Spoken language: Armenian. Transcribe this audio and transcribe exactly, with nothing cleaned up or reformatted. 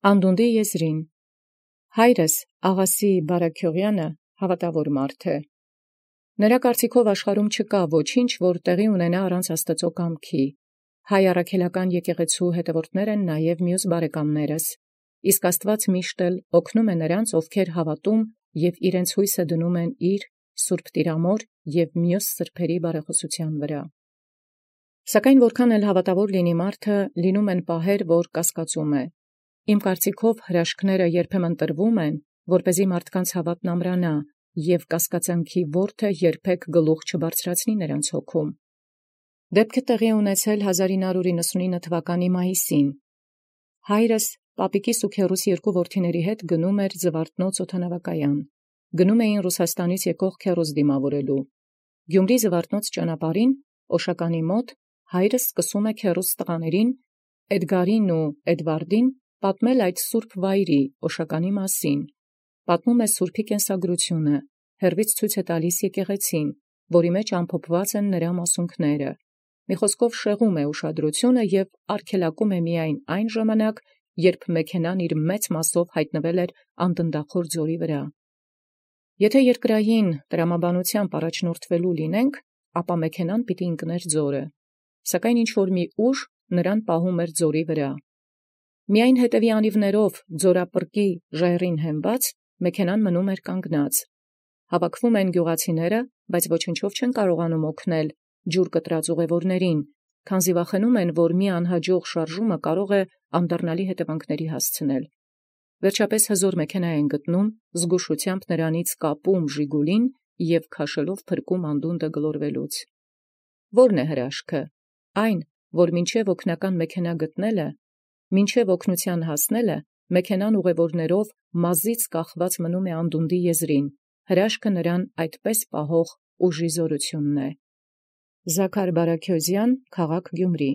Անդունդի եզրին։ Հայրս Աղասի Բարեգյողյանը հաւատաւոր է։ Նրա կարծիքով աշխարհում չկա ոչինչ, որ տեղի ունենա առանց Աստուծոյ կամքի։ Հայ առաքելական եկեղեցու հետևորդներ են նաև մյուս բարեկամներս, իսկ Աստուած միշտ էլ օգնում է նրանց, ովքեր հավատում և իրենց հույսը դնում են իր Սուրբ Տիրամոր և մյուս սրբոցի բարեխօսութեան վրա։ Սակայն որքան էլ հաւատաւոր լինի մարդը, լինում են պահեր, որ կասկածում է։ Իմ կարծիքով հրաշքները երբեմն տրվում են, որպեսզի մարդկանց հաւատն ամրանա, և կասկածանքի որդը երբեք գլուխ չբարձրացնի նրանց հոգում։ Դեպք տեղի ունեցել հազար ինը հարյուր իննսունինը թվականի մայիսին։ Հայրս պապիկիս ու քեռուս երկու որդիների հետ գնում էր Զվարթնոց օդանավակայան։ Գնում էին Ռուսաստանից եկող քեռուս դիմավորելու։ Գյումրի Զվարթնոց ճանապարհին Օշականի մոտ հայրս սկսում է քեռուս տղաներին Էդգարին ու Էդվարդին պատմել այդ սուրբ վայրի Օշականի մասին։ Պատմում է սուրբի կենսագրությունը, հեռվից ցույց է տալիս եկեղեցին, որի մեջ ամփոփված են նրա մասունքները։ Մի խոսքով շեղում է ուշադրությունը և արգելակում է միայն այն ժամանակ, երբ մեքենան իր մեծ մասսով հայտնվել էր Անդնդախոր ձորի վրա։ Եթե երկրային տրամաբանությամբ առաջնորդվելու լինենք, ապա մեքենան պիտի ընկներ ձորը, սակայն ինչ-որ մի ուժ նրան պահում էր ձորի վրա։ Միայն հետևի անիվներով ձորապրկի ժայռին հենված մեքենան մնում էր կանգնած։ Հավաքվում են գյուղացիները, բայց ոչնչով չեն կարողանում օգնել ջուր կտրած ուղևորներին, քանզի վախենում են, որ մի անհաջող շարժումը կարող է անդառնալի հետևանքների հասցնել։ Վերջապես հզոր մեքենա են գտնում, զգուշությամբ նրանից կապում Ժիգուլին և քաշելով փրկում անդունդը գլորվելուց։ Ո՞րն է հրաշքը։ Այն, որ մինչև օգնական մեքենա գտնելը, մինչև օգնության հասնելը, մեքենան ուղևորներով մազից կախված մնում է անդունդի եզրին, հրաշքը նրան այդպես պահող ուժի զորությունն է։ Զաքար Բարեգյոզյան, քաղաք Գյումրի։